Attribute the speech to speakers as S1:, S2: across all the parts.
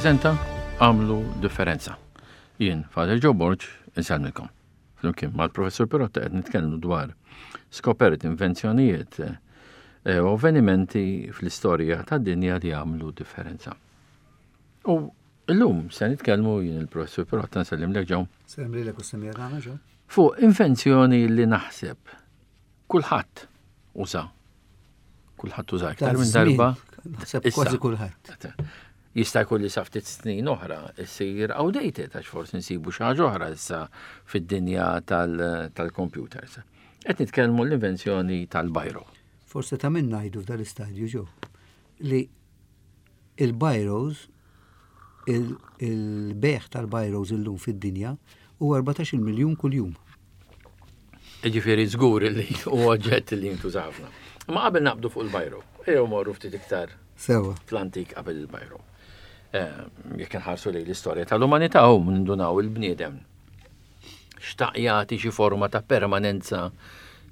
S1: tippreżenta Għamlu Differenza. Jien, Father Joe Borg, insellmilkom. Flimkien mal-Professur Pirotta qed nitkellmu dwar skoperti, invenzjonijiet eh, u avvenimenti fl-istorja tad-dinja li għamlu differenza. U illum se nitkellmu jien il-Professur Pirotta nsellimlek ġew.
S2: Sellimlek u semija tagħna ġew.
S1: Fuq invenzjoni li naħseb kulħadd uża. Kulħadd uża iktar minn darba.
S2: Naħseb kważi kulħadd.
S1: Jista' jkun li sa ftit snin oħra issir outdated għax forsi nsibu xi ħaġa oħra issa fid-dinja tal-computers. Qed nitkellmu l-invenzjoni tal-bajro.
S2: Forse ta' minn ngħidu f'dal-istadju ġew li il-bajros il-beħ tal-bajros illum fid-dinja huwa 14 miljun kuljum.
S1: Ġifieri żgur li huwa oġġett li jintuża ħafna. Ma qabel naqbdu fuq il-bajro, ejjew morru ftit iktar
S2: Sewa.
S1: fl-antik qabel il-bajro. Eh, jekk inħarsu lejn l-istorja tal-umanità u nindunaw il-bniedem xtaq jagħti xi forma ta' permanenza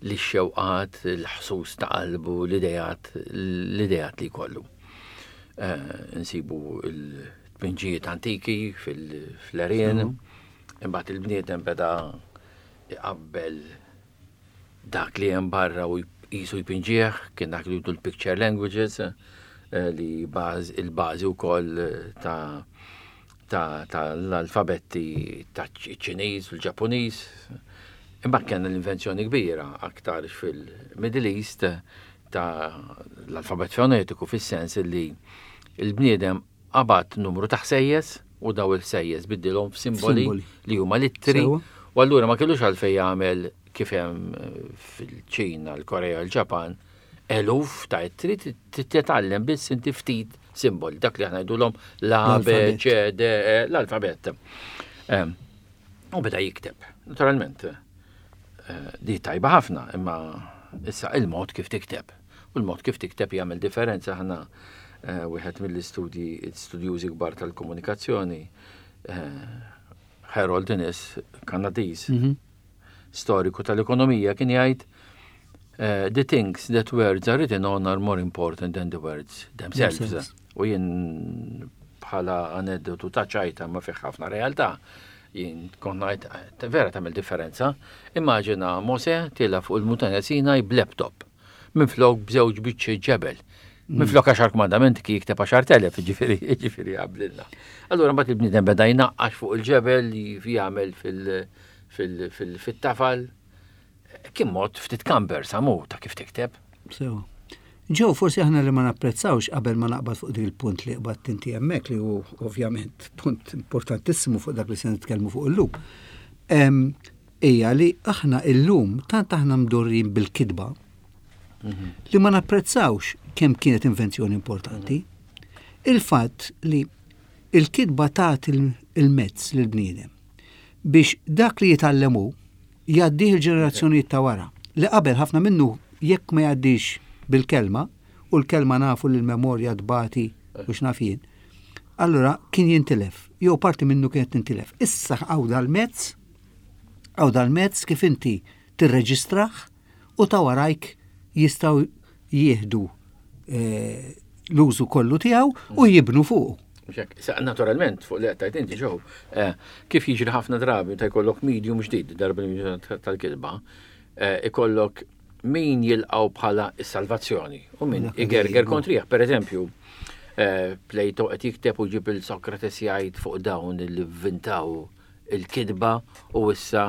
S1: li xewqat, il-ħsus ta' qalbu, l-idejat, l-idejat li jkollu. Eh, nsibu l-tpinġijiet antiki fil-erien, imbagħad il-bniedem beda iqabbel dak li hemm barra u jisu jpinġih, kien dak li jgħidu l-picture languages, eh, li il-bażi wkoll ta' ta' l-alfabetti ta' ċiniż u l-Ġappuniż. Imbagħad kellna l-invenzjoni kbira aktar fil-Middle East ta' l-alfabet fonetiku fis-sens li l-bniedem qabad numru ta' ħsejjes u daw il-ħsejjes biddilhom f'simboli li huma l-ittri u allura ma kellux għalfejn jagħmel kif hemm eh, fil-Ċina, l-Korea, l-Ġapan, eluf ta' ittri titgħallem biss inti ftit simboli, dak li aħna ngħidulhom l-A, B, C, D, E, l-alfabett. Ehm, u beda jikteb. Naturalment, eh, di tajba ħafna, imma issa il-mod kif tikteb. U l-mod kif tikteb jagħmel differenza ħana eh, wieħed mill-istudji studjużi kbar tal-komunikazzjoni, eh, Harold Innes, Kanadiż, mhm. storiku tal-ekonomija kien jgħid eh, the things that words are written on are more important than the words themselves. U jien bħala aneddotu ta' ċajta ma fih ħafna realtà jien kont ngħid eh, vera tagħmel differenza. Immaġina Mose tila fuq il-muntanja Sinaj b'laptop minflok b'żewġ biċċi ġebel. Minflok għaxar kmandamenti ki jikteb 10,000, ġifieri ġifieri qablilna. Allura mbagħad il-bniedem beda jnaqqax fuq il-ġebel jagħmel fil-tafal. Kien mod ftit kamber samu ta' kif tikteb.
S2: Sew. Ġew forsi aħna li ma napprezzawx qabel ma naqbad fuq dik il-punt li qbadt inti hemmhekk li hu ovvjament punt importantissimu fuq dak li se nitkellmu fuq illum. Hija li aħna illum tant aħna mdorrijin bil-kitba li ma napprezzawx kemm kienet invenzjoni importanti. Il-fatt li il-kitba tagħti il-mezz lill-bniedem biex dak li jitgħallem hu jgħaddih il-ġenerazzjonijiet ta' wara, li qabel ħafna minnu jekk ma jgħaddix bil-kelma, u l-kelma nafu li l-memorja tbati u x'naf jien, allura kien jintilef, jew parti minnu kienet tintilef. Issa hawn dal-mezz, hawn dal-mezz kif inti tirreġistrah u ta' warajk jistgħu jieħdu eh, l-użu kollu tiegħu u jibnu fuqu.
S1: Naturalment, fuq li għattajt inti ġew, eh, kif jiġri ħafna drabi ta' jkollok medium ġdid, darba tal-kitba, eh, ikollok min jilqaw bħala s-salvazzjoni u min igerger kontrih. Per eżempju, Plato qed jikteb u ġib il-Sokrates jgħid fuq dawn li vvintaw il-kitba u issa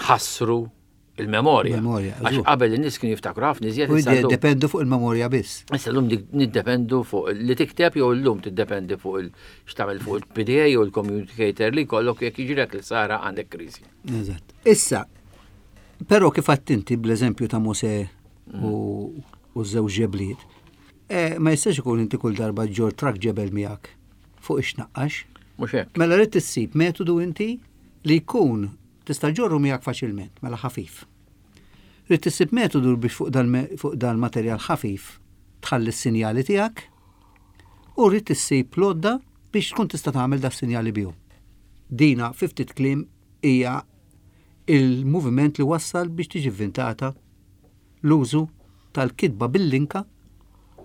S1: ħassru il-memorja.
S2: Memorja,
S1: Għax
S2: żgur.
S1: qabel in-nies kienu jiftakru ħafna iżjed.
S2: U
S1: issa llum-
S2: jiddependu fuq il-memorja biss.
S1: Issa llum dik niddependu fuq li tikteb jew llum tiddependi fuq il x'tagħmel fuq il-PDA jew il-communicator li jkollok jekk jiġrilek li sara għandek kriżi.
S2: Eżatt. Issa, però kif għedt inti bl-eżempju ta' Mosè u u żewġ ġebliet, eh, ma jistax ikun inti kull darba ġġorr trakk ġebel miegħek fuq ix-naqqax.
S1: Mhux hekk.
S2: Mela rrid issib metodu inti li jkun tista' ġorru miegħek faċilment, mela ħafif. Rrid issib metodu biex fuq dal fuq dal-materjal ħafif tħalli s-sinjali tiegħek u rrid issib l-għodda biex tkun tista' tagħmel das-sinjali bihom. Dina fi ftit kliem hija il-moviment li wassal biex tiġi vvintata l-użu tal-kitba bil-linka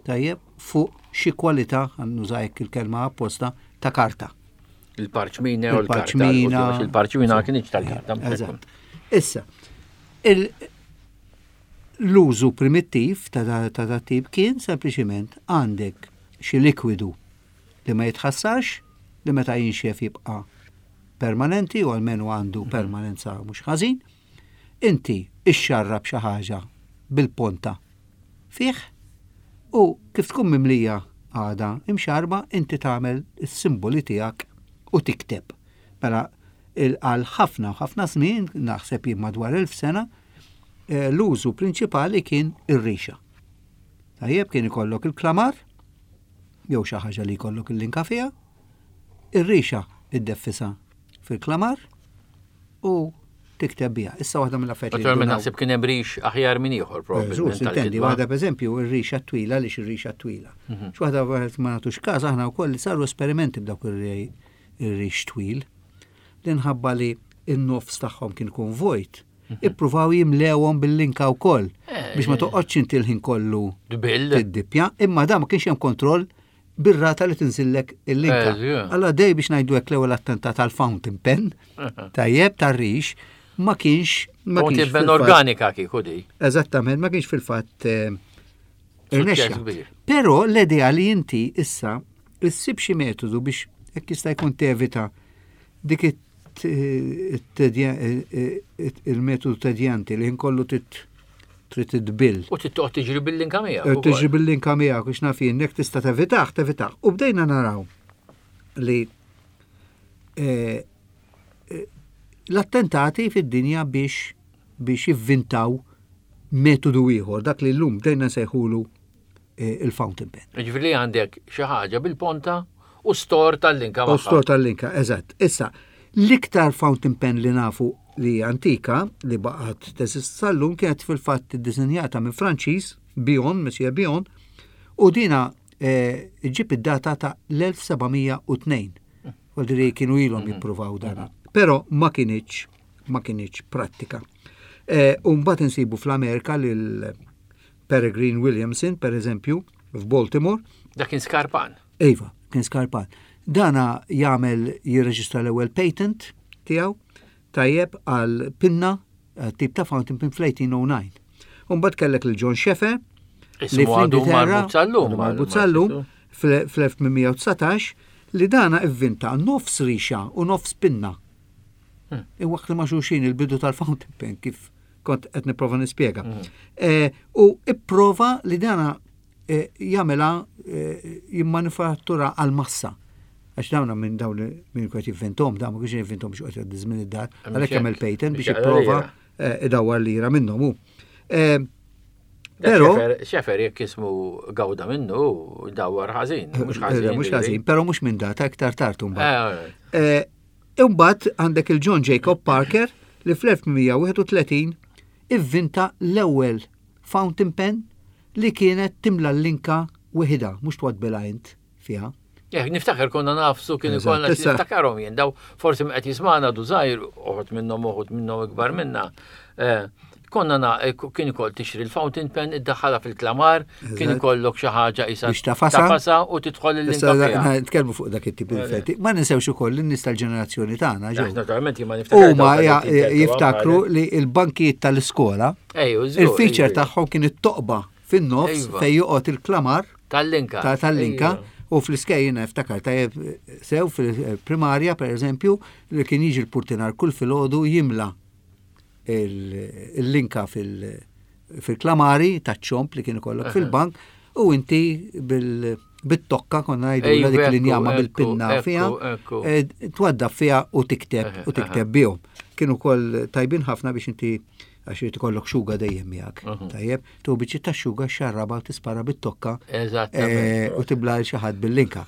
S2: tajjeb fuq xi kwalità, nuża hekk il-kelma apposta, ta' karta.
S1: Il-parċmina u l-karta. Il-parċmina ma kienx tal-karta.
S2: Eżatt. Issa, l-użu primittiv ta' da tip kien sempliċiment għandek xi likwidu li ma jitħassarx, li meta jinxef jibqa' permanenti u almenu għandu mhm. permanenza mhux ħażin. Inti ixxarrab xi ħaġa bil-ponta fih u kif tkun mimlija għada imxarba inti tagħmel is-simboli tiegħek u tikteb. Mela għal ħafna u ħafna żmien, naħseb jien madwar 1000 sena, eh, l-użu prinċipali kien ir-rixa. Tajjeb kien ikollok il-klamar, jew xi ħaġa li jkollok il-linka fiha, ir-rixa iddeffisha fil-klamar u tikteb biha. Issa waħda mill-affarijiet.
S1: Naturalment naħseb kien hemm rix aħjar minn ieħor
S2: probabbilment. Intendi, waħda pereżempju ir-rixa twila għaliex ir-rixa twila. Mhm. X'waħda ma nagħtux każ aħna wkoll li saru esperimenti b'dawk ir-rix twil li nħabba li n-nofs tagħhom kien ikun vojt mhm. ippruvaw jimlewhom bil-linka wkoll eh, biex ma eh. toqgħodx inti l-ħin kollu tiddippja, imma da ma kienx hemm kontroll bir-rata li tinżillek il-linka. Eh, Allora dej biex ngħidu hekk l-ewwel attentat għal fountain pen, tajjeb tar-rix, ma kienx.
S1: Ma kienx pen organika kieku di.
S2: Eżattament, ma kienx fil-fatt eh, irnexxa. Però l-idea li inti issa issib xi metodu biex hekk jista' jkun tevita dik il-metodu tedjanti li nkollu trid tbill.
S1: U trid toqgħod tiġri bil-linka miegħek.
S2: Tiġri bil-linka miegħek biex naf jien jekk tista' tevitaħ, tevitaħ. U bdejna naraw li eh, eh, l-attentati fid-dinja biex biex jivvintaw metodu ieħor, dak li llum bdejna nsejħulu eh, il-fountain pen.
S1: Ġifieri għandek xi ħaġa bil-ponta u stor tal-linka.
S2: U stor tal-linka, eżatt. Issa, l-iktar fountain pen li nafu li antika li baqgħet teżist sal-lum kienet fil-fatt iddisinjata minn Franċiż, Bion, Monsieur Bion, u dina eh, ġib id-data ta' l-1702. Għaldiri kienu ilhom mhm. jippruvaw dana. Mhm. Però ma kienieċ ma kienieċ prattika. Eh, u mbagħad insibu fl-Amerika lil Peregrine Williamson, per eżempju, f'Baltimore.
S1: Dak kien skarpan.
S2: Iva, kien skarpan. Dana jagħmel jirreġistra l-ewwel patent tiegħu tajjeb għal pinna eh, tip ta' fountain pen fl-1809. Umbagħad kellek lil John Sheffer
S1: li fl-Ingilterra
S2: marbut sal-lum fl-1819 li dana ivvinta nofs rixa u nofs pinna. Hmm. Iwaħħlu ma' xulxin il-bidu tal-fountain pen kif kont qed nipprova nispjega. Mm. Eh, u ipprova li dana eh, jagħmilha eh, jimmanifattura għal massa. Għax dawna minn dawn minn kwet jivvintom, dawn ma kienx jivvintom biex qed żmien id-dar, għalhekk jagħmel patent biex jipprova idawwar lira minnhom hu.
S1: Pero xefer jekk ismu gawda minnu dawwar ħażin, mhux ħażin.
S2: Mhux ħażin, però mhux minn data iktar tard imbagħad. Imbagħad għandek il-John Jacob Parker li fl-1831 ivvinta l-ewwel fountain pen li kienet timla l-linka weħidha, mhux twaddbilha int fiha.
S1: Eh, niftakar konna nafsu kien ikollna niftakarhom jien daw forsi qed jismana du żgħir uħud minnhom uħud minnhom ikbar minna. Eh, Konna na, eh, kien ikoll tixtri l-fountain pen, iddaħħalha fil-klamar, kien ikollok xi ħaġa isa
S2: biex tafasa.
S1: Tafasa u tidħol il-linka.
S2: Nitkellmu fuq dak it-tip effetti. Ma ninsewx ukoll in-nies tal-ġenerazzjoni tagħna
S1: ġew. Naturalment jien ma niftakar.
S2: Huma jiftakru li l-bankijiet tal-iskola, il-feature tagħhom kien it-toqba fin-nofs fejn joqgħod il-klamar
S1: tal-linka.
S2: Tal-linka. U fl-iskej jiena niftakar tajjeb sew fil-primarja per eżempju li kien jiġi l-purtinar kull filgħodu jimla il-linka fil-klamari taċ-ċomp li kien ikollok fil-bank u inti bil-tokka konna ngħidu dik l-injama bil-pinna fiha, eh, twaddaf fiha u tikteb u tikteb bihom. Kienu kol tajbin ħafna biex inti għax irid ikollok xuga dejjem miegħek. Mhm. Tajjeb, tu biċċi ta' xuga xarraba u tispara bit-tokka eh, u tibla l xi ħadd bil-linka.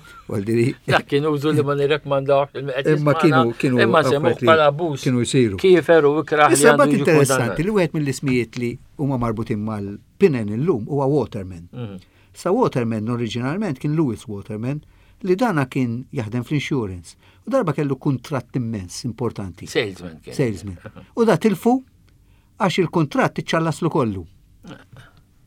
S1: Dak kien użu li ma nirrekmandawx
S2: Imma kienu kienu
S1: imma semmu bħala abbuż.
S2: Kienu jsiru.
S1: Kiefer u ikraħ.
S2: Issa bat interessanti li wieħed mill-ismijiet li huma marbutin mal-pinen illum huwa Waterman. Mhm. Sa Waterman oriġinalment kien Louis Waterman li dana kien jaħdem fl-insurance. U darba kellu kuntratt immens importanti.
S1: Salesman kien.
S2: Salesman. U da tilfu għax il-kuntratt iċċallaslu kollu.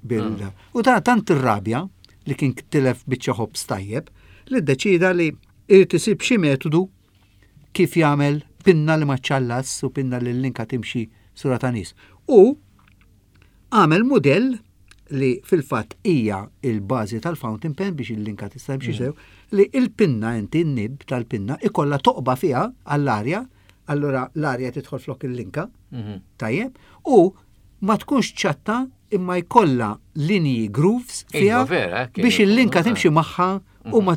S2: Bil ah. U ta' tant irrabja li kien tilef biċċa ħobż tajjeb li ddeċida li Irid isib xi metodu kif jagħmel pinna li ma ċċallas u pinna li l-linka timxi sura ta' nies. U għamel mudell li fil-fatt hija il-bażi tal-fountain pen biex il-linka tista' timxi sew, li il-pinna inti n-nib tal-pinna ikollha toqba fiha għall-arja, allura l-arja tidħol flok il-linka, tajjeb, u ma tkunx ċatta imma jkollha linji grooves fiha
S1: Iva, vera, hekk
S2: biex
S1: kien
S2: il-linka
S1: ikun,
S2: timxi magħha u ma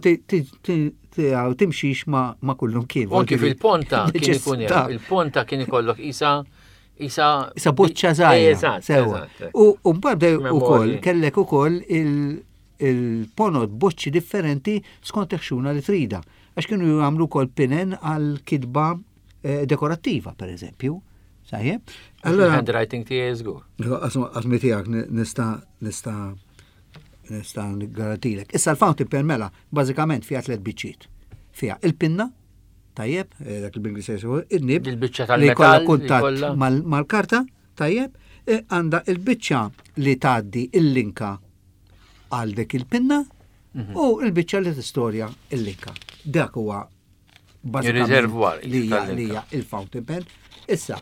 S2: timxix ma kullum kien.
S1: U anki fil-ponta kien ikun hemm,
S2: Ta'
S1: il-ponta kien ikollok isa isa
S2: Isa boċċa żgħira.
S1: Eżatt,
S2: Sewwa.
S1: eżatt.
S2: U mbagħad bdew
S1: Memorji.
S2: ukoll kellek ukoll il-ponot boċċi differenti skont il-ħxuna li trida. Għax kienu jagħmlu wkoll pinen għal kitba dekorattiva, per eżempju. Sajjeb?
S1: Allora handwriting tiegħi żgur.
S2: Għazmi tiegħek nista' nista' nista' garantilek. Issa l-fountain pen mela bażikament fiha tliet biċċiet. Fiha il-pinna, tajjeb, dak il-Ingliż jgħidu, in-nib,
S1: Il-biċċa
S2: li jkollha
S1: tal-metall, li
S2: kuntatt
S1: jkollha-
S2: mal-karta, tajjeb, għandha il-biċċa li tgħaddi il-linka għal dik il-pinna u il-biċċa li tistorja il-linka. Dak huwa bażikament
S1: Il-reservoir
S2: li hija
S1: tal-linka.
S2: li hija il-fountain pen. Issa,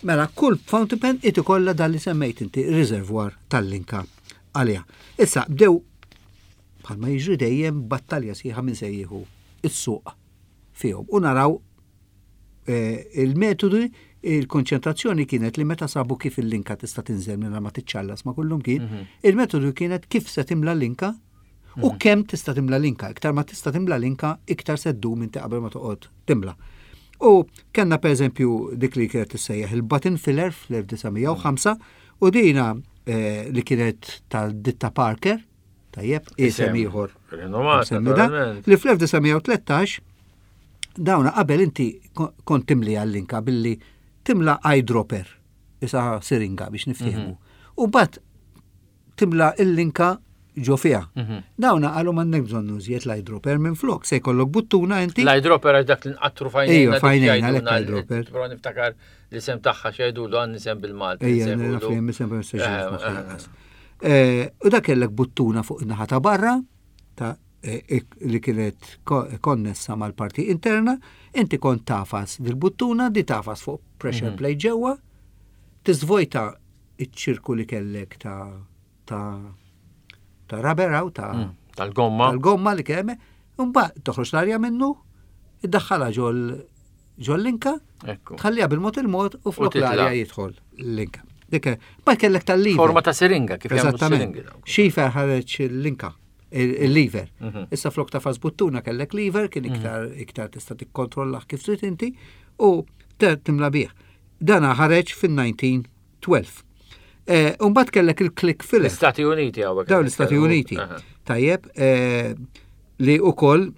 S2: mela kull fountain pen it ikollha dan li semmejt inti reservoir tal-linka għaliha. Issa bdew bħalma jiġri dejjem battalja sħiħa minn se jieħu is-suq fihom. U naraw il-metodi, il-konċentrazzjoni kienet li meta sabu kif il-linka tista' tinżel minn ma tiċċallas ma kullum kien, il-metodu kienet kif se timla l-linka u kemm tista' timla linka. Iktar ma tista' timla linka, iktar se ddum inti qabel ma toqgħod timla. U kellna per eżempju dik li kienet tissejjaħ il-button filler fl-1905 u dina li kienet tal-ditta Parker, tajjeb, isem
S1: Isem
S2: ieħor.
S1: Rinomat,
S2: Semmi da,
S1: naturalment.
S2: li fl-1913 dawna qabel inti kont timli għall-linka billi timla eyedropper, isa siringa biex niftehmu. U bat timla il-linka ġo fiha. Dawna qalu m'għandek bżonn użjed l-eyedropper minn flok, se jkollok buttuna inti.
S1: L-eyedropper għax dak li nqattru fajnejna.
S2: Ejwa,
S1: dik
S2: fajnejna,
S1: jgħidulna
S2: għalhekk eyedropper.
S1: Però niftakar l-isem tagħha x'jgħidulu għan isem bil-Malti.
S2: Ejja,
S1: nsejħulu.
S2: naf li hemm isem ma nistax niftakar lanqas. U dak kellek buttuna fuq in-naħa ta' barra ta' li kienet konnessa mal-parti interna, inti kont tafas dil-buttuna, di tafas fuq pressure plate ġewwa, tiżvojta iċ-ċirku li kellek ta' rubber hawn, ta'
S1: Tal-gomma.
S2: tal-gomma li kemm, imbagħad toħroġ l-arja minnu, iddaħħalha ġol linka,
S1: Ekku.
S2: tħalliha bil-mod il-mod u flok
S1: titla'.
S2: l-arja jidħol l-linka. Dik, ma kellek tal-lever.
S1: Forma ta' siringa, kif jagħmlu
S2: Eżattament.
S1: siringi dawk.
S2: Xifer ħareġ il-linka, il-lever. Issa flok ta' fas buttuna kellek lever, kien iktar tista' tikkontrollah kif trid inti u timla bih. Dana ħareġ fin-1912. Umbagħad kellek il-click filler.
S1: L-Istati Uniti hawnhekk.
S2: Dawn l-Istati Uniti. Tajjeb, li ukoll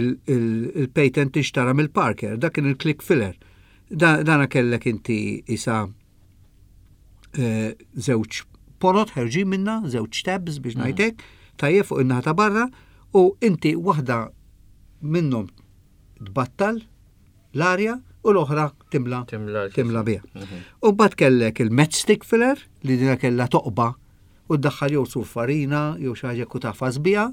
S2: il-patent tixtara mill-Parker, dak kien il-click filler. Dana kellek inti isa żewġ ponot ħerġin minna, żewġ tabs biex ngħidlek, tajjeb fuq in-naħa ta' barra, u inti waħda minnhom tbattal l-arja u l-oħra timla
S1: Timla
S2: timla biha. U mbagħad kellek il-matchstick filler li dina kellha toqba u ddaħħal jew sur farina jew xi ħaġa ku tafas biha,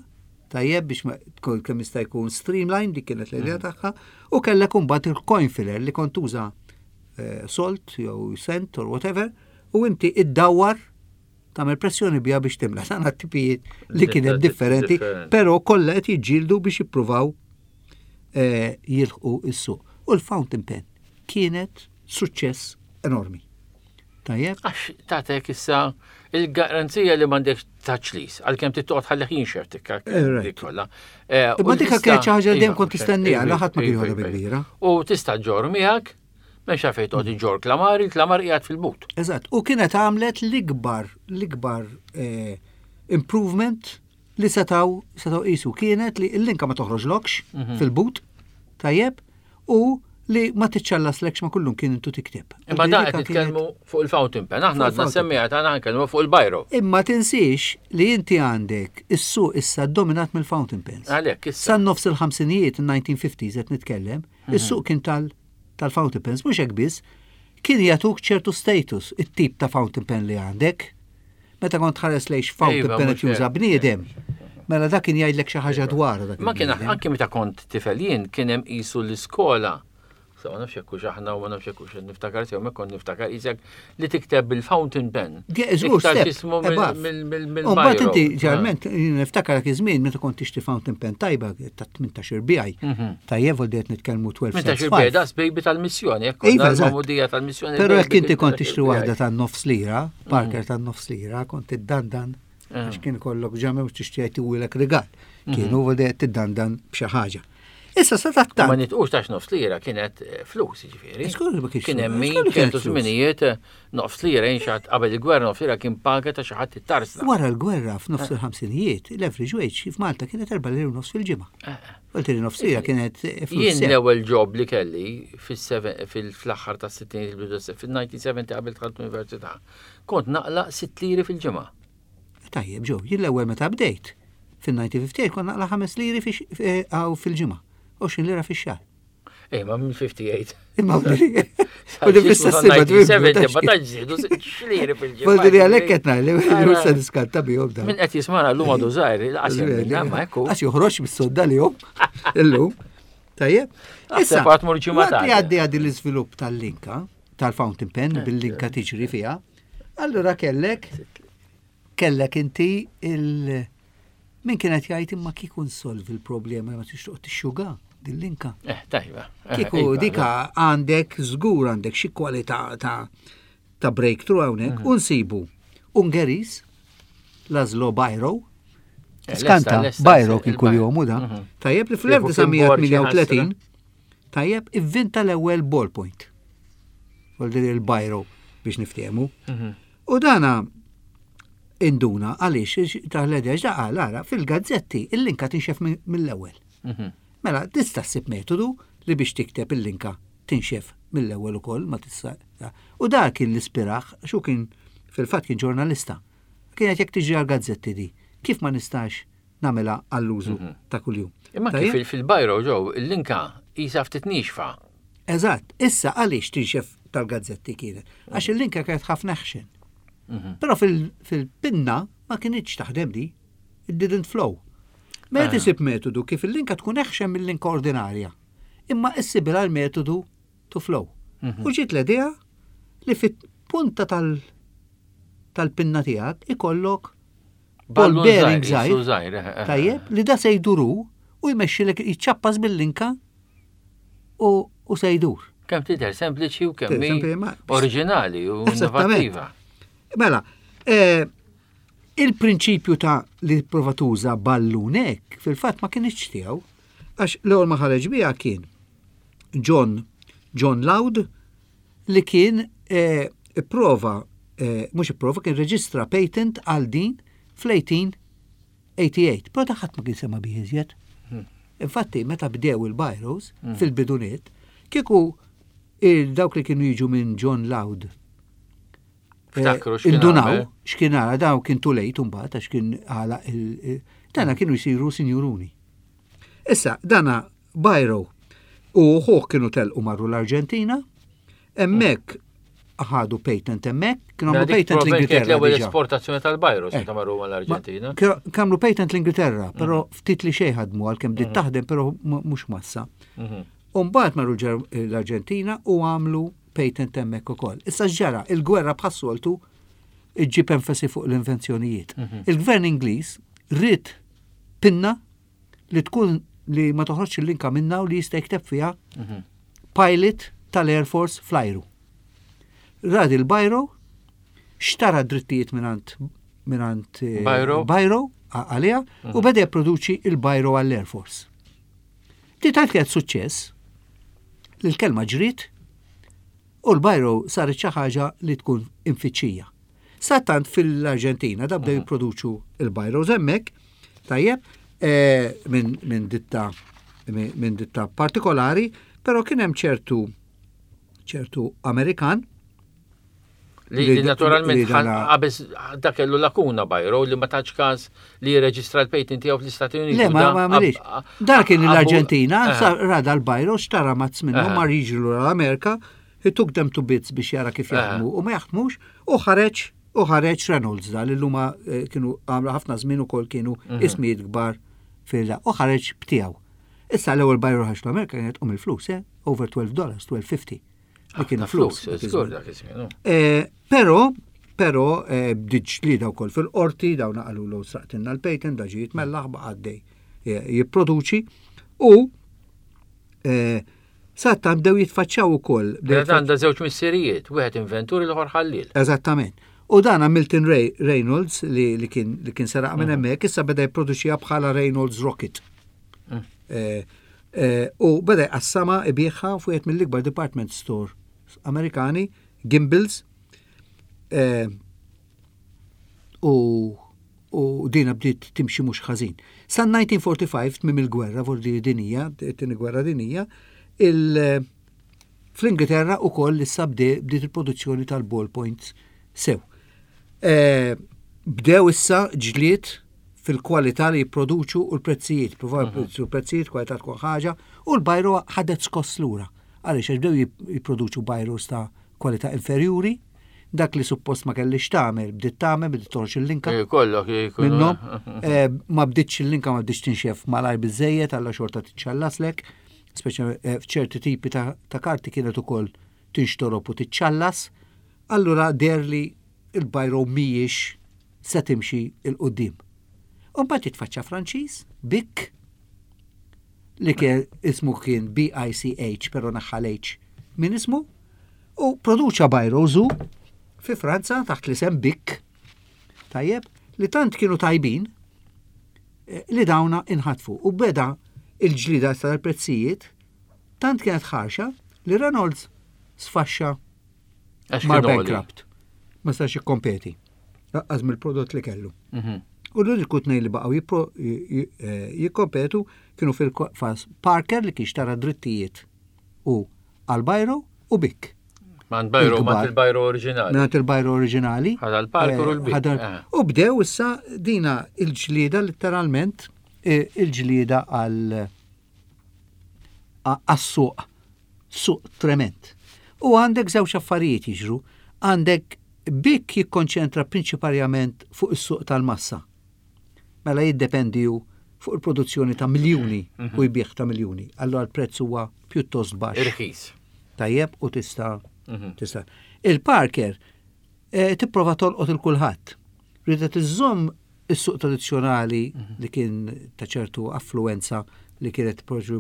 S2: tajjeb biex ma tkun kemm jista' jkun streamline, dik kienet l-idea tagħha, u kellek imbagħad il-coin filler li kont tuża salt jew cent or whatever, u inti iddawwar tagħmel pressjoni biha biex timla. Dan tipijiet li kien hemm differenti,
S1: Differenti.
S2: però kollha qed jiġġieldu biex jippruvaw jilħqu is-suq. U l-fountain pen kienet suċċess enormi. Tajjeb?
S1: Għax tatek issa il-garanzija li m'għandekx taċlis, għalkemm trid toqgħod ħalli jinxef tikka dik kollha.
S2: Imma
S1: U
S2: dikka
S1: tista'
S2: kienet xi ħaġa li dejjem
S1: Iva,
S2: kont tistennija,
S1: iva,
S2: la ħadd ma kien
S1: iva,
S2: jħodha
S1: iva,
S2: bi kbira.
S1: U tista' ġġorr miegħek, m'hemmx għalfejn toqgħod iġġorr klamar, il-klamar qiegħed fil-but.
S2: Eżatt, u kienet għamlet l-ikbar improvement li setaw qisu kienet li l-linka ma toħroġlokx fil-but, tajjeb, u li ma tiċċallaslekx ma kullum kien intu tikteb.
S1: Imma
S2: U
S1: da
S2: dika
S1: qed nitkellmu fuq il-fountain pen, aħna
S2: Fuq
S1: għadna
S2: il-fountain
S1: semmejha tagħna nkellmu fuq il-biro.
S2: Imma tinsiex li inti għandek is-suq issa dominat mill-fountain pens.
S1: Għalhekk issa.
S2: Sa nofs il-ħamsinijiet, il-1950s qed nitkellem, is-suq kien tal-fountain pens, mhux hekk biss, kien jagħtuk ċertu status, it-tip ta' fountain pen li għandek. Meta kont tħares lejx fountain
S1: Iva,
S2: pen
S1: mhux
S2: qed juża
S1: hekk.
S2: bniedem. Mela dak kien jgħidlek xi ħaġa dwar dak.
S1: Ma kien anke meta kont tifel jien kien hemm qisu l-iskola Sa ma nafx hekk hux aħna u ma nafx hekk hux niftakar sew kont niftakar isek li tikteb bil-fountain pen.
S2: Żgur ismu mill Mbagħad inti ġarment niftakar dak iż-żmien meta kont tixtri fountain pen tajba ta' 18 bijaj. Mhm. Tajjeb vol qed nitkellmu 12
S1: 18 bijaj das baby tal-missjoni, hekk iva, magħmudija tal-missjoni.
S2: Però jekk inti kont tixtri waħda ta' nofs lira, Parker mhm. ta' nofs lira, kont tiddandan eh. għax kien kollok ġame u tixtri jtiwilek rigal. Mhm. Kienu vol tiddandan b'xi ħaġa. Issa sa
S1: tattant. Ma nitqux tax nofs lira kienet eh, flus, ġifieri. Kien hemm min ċertu żminijiet eh, nofs lira jinxat qabel il-gwerra nofs lira kien paga ta' xi ħadd it-tarsna.
S2: Wara l-gwerra f'nofs eh. il-ħamsinijiet, l-average wage f'Malta kienet 4 lira nofs fil-ġimgħa. Qult li nofs lira kienet
S1: flus. Jien l-ewwel job li kelli fil-aħħar tas-sittinijiet fil-1970 qabel dħalt l-università, kont naqla' 6 liri fil-ġimgħa.
S2: Tajjeb, ġew, jien l-ewwel meta bdejt, fil-1958 kont naqla' 5 liri eh, fil-ġimgħa, 20 lira fix-xahar.
S1: Ej, ma minn 58.
S2: Imma U li fl-istess
S1: ma ma taġġidu xliri fil-ġimgħa.
S2: Voldiri għalhekk qed ngħid li se niskanta bihom
S1: dan. Min qed jismana llum għadu żgħir, qas ma ekku.
S2: Għax joħroġ mis-sodda li jom illum. Tajjeb.
S1: Issa,
S2: waqt li għaddi għaddi l-iżvilupp tal-linka, tal-fountain pen eh, bil-linka eh. tiġri fiha, allura kellek kellek inti il- min kienet jgħid imma kieku nsolvi l-problema ma tix toqgħod tixxuga din-linka.
S1: Eh, tajba.
S2: Eh, kieku iva, dika għandek żgur għandek xi kwalità ta' ta' breakthrough hawnhekk mhm. u nsibu Ungeris, Laszlo Bajro, skanta Bajro kien kuljom u da. Mhm. Tajjeb li fl-1938 Tajjeb, ivvinta l-ewwel ballpoint. Vuol il-bajro biex niftehmu. Mhm. U dana induna għaliex taħledex da qal ara fil-gazzetti il-linka tinxef mill-ewwel. Mhm. Mela tista' ssib metodu li biex tikteb il-linka tinxef mill-ewwel ukoll ma tista' U dak kien l-ispiraħ, xu kien fil-fatt kien ġurnalista. Kienet jekk tiġri għal-gazzetti di, kif ma nistax nagħmilha għall-użu mhm. ta' kuljum.
S1: Imma kif fil-bajro ġew il-linka jisa ftit nixfa.
S2: Eżatt, issa għaliex tinxef tal-gazzetti kienet? Għax mhm. il-linka kienet ħafna ħxen. Mhm. Però fil-pinna ma kienitx taħdem di, it didn't flow. Meta ah. tisib metodu kif il-linka tkun eħxen mill-linka ordinarja, imma issibilha l-metodu to flow. U ġiet l-idea li fit-punta tal-pinna tiegħek ikollok ball bearing żgħir. Eh, eh, Tajjeb, li da se jduru u jmexxilek jiċċappas bil-linka u se jdur.
S1: Kemm tidher sempliċi u kemm oriġinali u innovattiva.
S2: Mela, eh, il-prinċipju ta' li prova tuża ballunek fil-fatt ma kienx tiegħu, għax l-ewwel ma ħareġ biha kien John John Loud li kien eh, ipprova, eh, mhux ipprova, kien reġistra patent għal din fl-1888, però ta' ħadd ma kien sema bih iżjed. Hmm. Infatti, meta bdew il-Byros hmm. fil-biduniet, kieku dawk li kienu jiġu minn John Loud
S1: eh,
S2: Indunaw, x'kien għala daw kien too late mbagħad għax kien għala il dana kienu jsiru sinjuruni. Issa, dana Bajro u ħuh kienu telqu marru l-Arġentina, hemmhekk ħadu patent hemmhekk, kienu għamlu patent l-Ingilterra.
S1: L-ewwel esportazzjoni tal-Bajro eh. meta marru l-Arġentina.
S2: Kamlu patent l-Ingilterra, però mhm. ftit li xejn ħadmu għalkemm bdiet mhm. taħdem, però mhux massa. Mhm. U mbagħad marru l-Arġentina u għamlu patent hemmhekk ukoll. Issa ġara, il-gwerra bħas-soltu iġġib enfasi fuq l-invenzjonijiet. Il-gvern Ingliż ried pinna li tkun li ma toħroġx il-linka minna u li jista' jikteb fiha mhm. pilot tal-Air Force fl-ajru. Radi l-Bajro, xtara drittijiet minant minant eh, Bajro għalija u mhm. beda jipproduċi il-Bajro għall-Air Force. Di tant kienet suċċess li l-kelma ġriet u l-Bajro saret xi ħaġa li tkun infittxija. Satant fil-Arġentina da bdew jipproduċu il-bajros hemmhekk, tajjeb, eh, minn ditta minn ditta partikolari, però kien hemm ċertu ċertu Amerikan
S1: Li naturalment qabes dak kellu lakuna Bajro li ma tax każ li jirreġistra l-patent tiegħu fl-Istati Uniti.
S2: Le, ma ma Dak kien l-Arġentina, eh. rada l-Bajro xtara mazz minnu eh. mar jiġru l-Amerika, he took them to bits biex jara kif jaħdmu u ma jaħdmux u ħareġ. U ħareġ Reynolds da li l-luma eh, kienu għamlu ħafna żmien ukoll kienu mhm. ismijiet kbar fil u ħareġ btiegħu. Issa l-ewwel bajru ħax l-Amerika kienet um il-flus, eh? Over 12 dollars, 12.50. Li kienu flus. Eh, però, però eh, bdiet ġlieda wkoll fil-qorti, dawn qalu l sraqtilna l-patent, da ġie jitmellaħ baqa' għaddej jipproduċi u Satta bdew jitfaċċaw ukoll.
S1: Mela għandha żewġ missirijiet, wieħed inventur l-ieħor ħalliel.
S2: Eżattament. U dan Milton Ray Reynolds li, li kien li kien seraq minn mhm. hemmhekk issa beda jipproduċiha bħala Reynolds Rocket. Mm. Eh, eh, u beda jqassama ibiħha fuq wieħed mill-ikbar department store Amerikani, Gimbals. Eh, u u dina bdiet timxi mhux ħażin. Sa 1945 tmiem il-gwerra vordi dinija, it-tieni gwerra dinija, il fl-Ingilterra ukoll issa bdiet il-produzzjoni tal-ballpoints sew. E, bdew issa ġlied fil-kwalità li jipproduċu u l-prezzijiet, provaw mhm. jipproduċu l-prezzijiet, kwalità tkun ħaġa, u l-bajro ħadet skoss lura. Għaliex għax bdew jipproduċu bajros ta' kwalità inferjuri, dak li suppost ma kellix tagħmel, bdiet tagħmel, bdiet toħroġ il-linka.
S1: Eh, kollok
S2: minnhom. Eh, ma bdietx il-linka ma bdietx tinxef malajr biżejjed alla xorta tiċċallaslek, speċa eh, f'ċerti tipi ta' karti kienet ukoll tinxtorob u tiċċallas. Allura der li il-bajro mhijiex se timxi il qudiem U mbagħad jitfaċċa Franċiż, Bic, li kien ismu kien BICH, pero naħħal H minn ismu, u produċa bajrozu fi Franza taħt l-isem Bic, tajjeb, li tant kienu tajbin eh, li dawna inħatfu. U beda il-ġlida tal-prezzijiet tant kienet ħarxa li Reynolds sfaxxa mar bankrupt. Ma stax jikkompeti. Laqqas mill-prodott li kellu. Mhm. U l-uniku tnej li baqgħu eh, jikkompetu kienu fil-fas Parker li kien xtara drittijiet u għal Bajro u Bic.
S1: Man Bajro, man il-Bajro oriġinali.
S2: Man il-Bajro oriġinali.
S1: Ħada l-Parker u l-Bic.
S2: Eh, eh. U bdew issa dina il-ġlieda letteralment il-ġlieda għal għas-suq, suq trement. U għandek żewġ affarijiet jiġru. Għandek Bic jikkonċentra prinċiparjament fuq is-suq tal-massa. Mela jiddependi hu fuq il-produzzjoni ta' miljuni mhm. u jbieħ ta' miljuni. Allora l-prezz huwa pjuttost baxx.
S1: Irħis.
S2: Tajjeb u tista' mhm. tista' Il-Parker eh, tipprova tolqot il-kulħadd. Ridet iżżomm is-suq tradizzjonali mhm. li kien ta' ċertu affluenza li kienet tipproduċi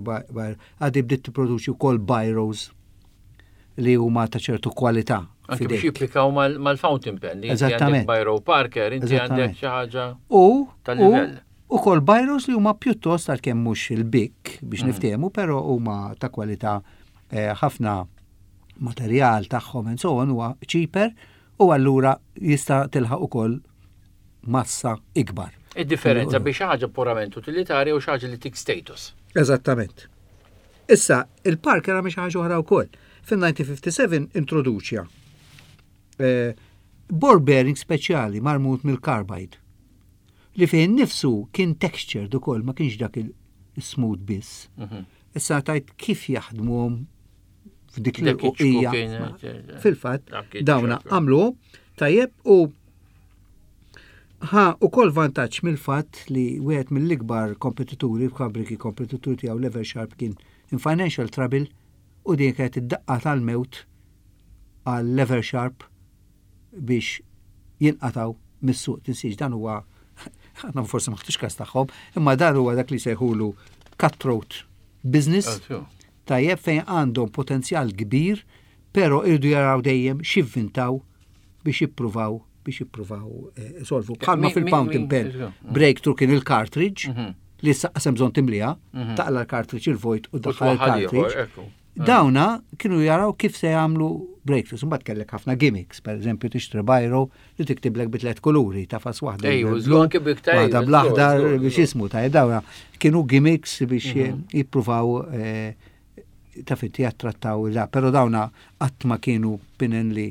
S2: għaddi bdiet tipproduċi wkoll biros li huma ta' ċertu kwalità.
S1: Anke biex jipplikaw mal-fountain pen. Li
S2: Eżattament.
S1: Biro Parker, inti għandek xi ħaġa
S2: u tal-livell. U kol biros li huma pjuttost għalkemm mhux il-bik biex mm. niftehmu, però huma ta' kwalità eh, ħafna materjal tagħhom and so on huwa cheaper u allura jista' tilħaq ukoll massa ikbar.
S1: Id-differenza biex xi ħaġa purament utilitarja u xi ħaġa li tik status.
S2: Eżattament. Issa, il-Parker għamel xi ħaġa oħra wkoll. Fin-1957 introduċja eh, ball bearing speċjali marmut mill-carbide li fejn nifsu kien textured ukoll ma kienx dak il-smooth biss. Mhm. Issa tajt kif jaħdmuhom f'dik l-uqija. Eh, Fil-fatt, dawna għamlu tajjeb u Ħa ukoll vantaġġ mill-fatt li wieħed mill-ikbar kompetituri, fabbriki kompetituri tiegħu Lever Sharp kien in financial trouble u din kienet id-daqqa tal-mewt għal Lever Sharp biex jinqatgħu mis-suq. Tinsiex dan huwa aħna forsi ma ħtux każ tagħhom, imma dan huwa dak li sejħulu cutthroat business. Tajjeb fejn għandhom potenzjal kbir, però irdu jaraw dejjem x'jivvintaw biex jippruvaw biex jippruvaw eh, isolvu. Bħalma fil-fountain pen, breakthrough kien il-cartridge mhm. li issa qasem bżonn timliha, mhm. taqla l-cartridge il-vojt u daħħal il-cartridge. Mm. Dawna kienu jaraw kif se jagħmlu breakthroughs. Imbagħad kellek ħafna gimmicks, per eżempju tixtri bajro li tiktiblek bi tliet kuluri, tafas waħda. Waħda bl-aħdar biex ismu ta' dawna kienu gimmicks biex mhm. jippruvaw eh, taf inti jattrattaw la, pero dawna qatt ma kienu pinen li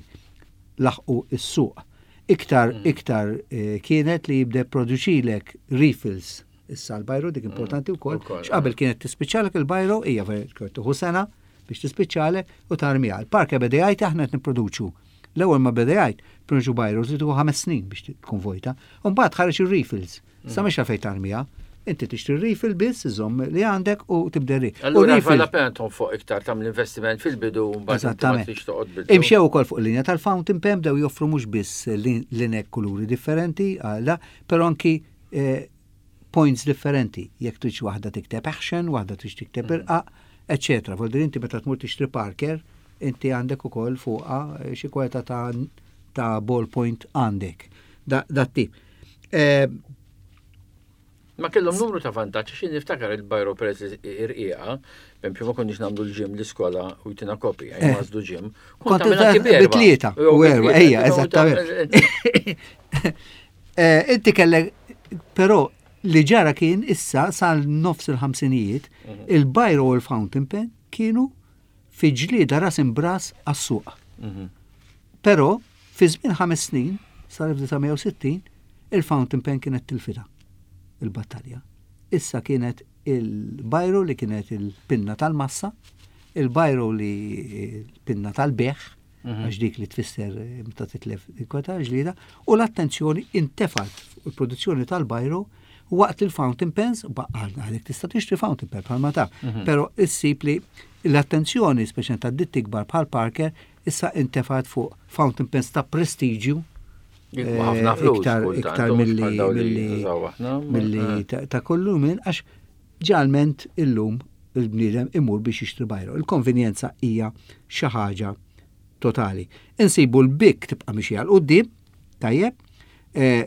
S2: laħqu s-suq. Iktar, mm. iktar eh, kienet li jibda produċilek refills issa l-bajro dik mm, importanti wkoll. X'qabel kienet tispiċċalek il-bajro hija tuħu sena biex tispiċċalek u tarmiha. Il-parke beda jgħid aħna qed nipproduċu. L-ewwel ma beda jgħid, prinċu bajru trid ħames snin biex tkun vojta. U mbagħad ħareġ ir-refills. Sa mhix għalfejn tarmiha. Inti tixtri refill biss, iżomm li għandek u tibda ri.
S1: Allura vale la pena tonfoq iktar tagħmel investiment fil-bidu u mbagħad ma tridx toqgħod
S2: bidu. Imxew ukoll fuq il-linja tal-fountain pen bdew joffru mhux biss linek kuluri differenti, għala, però anki eh, points differenti. Jekk tridx waħda tikteb action, waħda tridx tikteb mm. irqaq, eċetera. Voldir inti meta tmur tixtri Parker, inti għandek ukoll fuqha eh, xi kwalità ta' ta' ballpoint għandek. Da, da tip. Eh,
S1: Ma kellhom numru ta' vantaġġ xi niftakar il-bajro peress irqiqa, b'empju ma konniex nagħmlu l-ġim l-iskola u jtina kopja, eh. jgħażlu ġim.
S2: Kont bitlieta u erba, ejja, eżattament. Eh, inti kellek, però li ġara kien issa sal nofs il-ħamsinijiet, mhm. il-bajro u l-fountain pen kienu fi ġlieda ras imbras għas-suq. Mhm. Però, fi żmien ħames snin, sal-1960, il-fountain pen kienet tilfita il-battalja. Issa kienet il-bajro li kienet il-pinna tal-massa, il-bajro li pinna tal-beħ, mhm. għax dik li tfisser eh, meta titlef il-kweta ġlida, u l-attenzjoni intefat fuq il-produzzjoni tal-bajro waqt il-fountain pens, baqqalna għalek tista' tixtri fountain pen bħalma ta' mhm. però issib li l-attenzjoni speċjalment ta' ditti kbar bħal Parker issa intefat fuq fountain pens ta' prestiġju
S1: eh, ħafna flus
S2: iktar iktar milli milli eh. ta' kollu minn għax ġalment illum il-bniedem imur biex jixtri bajro. Il-konvenjenza hija xi ħaġa totali. Insibu l-bik tibqa' mixi għal quddiem, tajjeb, eh,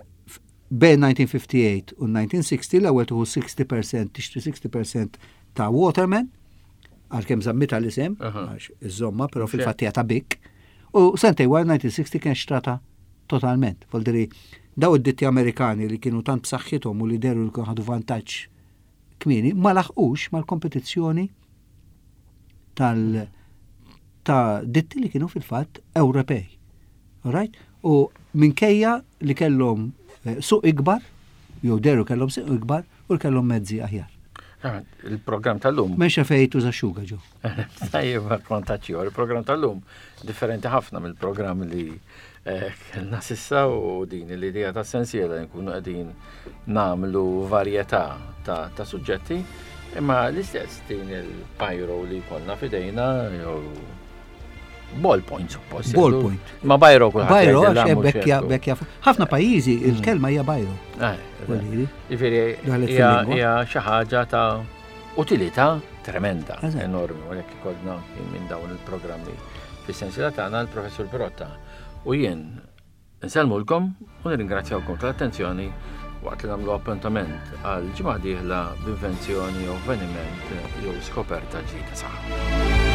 S2: bejn 1958 u 1960 l-ewwel tuħu 60% tixtri 60% ta' Waterman, għalkemm żammita l-isem, għax iżomma, però fil-fatt hija ta' Bic. U sentej wara 1960 kien xtrata totalment. Voldiri, daw id-ditti Amerikani li kienu tant b'saħħithom u li deru li kienu ħadu vantaġġ kmieni, ma laħqux mal-kompetizzjoni tal ta' ditti li kienu fil-fatt Ewropej. Right? U minkejja li kellhom eh, suq ikbar, jew deru kellhom suq ikbar, u kellhom mezzi aħjar.
S1: Ah, il-programm tal-lum.
S2: Mexa fej tuża xuga ġo.
S1: Tajjeb, kontaċ Il-programm tal-lum differenti ħafna mill-programm li eh, kellna sissa u din l-idea ta' sensiela nkunu qegħdin nagħmlu varjetà ta' suġġetti, imma l-istess din il-pyro li jkollna fidejna jew Ballpoint suppost.
S2: Ballpoint.
S1: Ma bajro kulħadd.
S2: Bajro għax bekkja bekkja. Ħafna pajjiżi mm. il-kelma hija bajro.
S1: Eh, Jiġifieri hija xi ħaġa ta' utilità tremenda, enormi, u jekk ikollna minn dawn il-programmi fis-sensiela tagħna l-Professur Pirotta u jien Insellmulkom u nirringrazzjawkom tal-attenzjoni waqt li nagħmlu appuntament għal ġimgħa dieħla b'invenzjoni jew avveniment jew skoperta ġdida saħħa.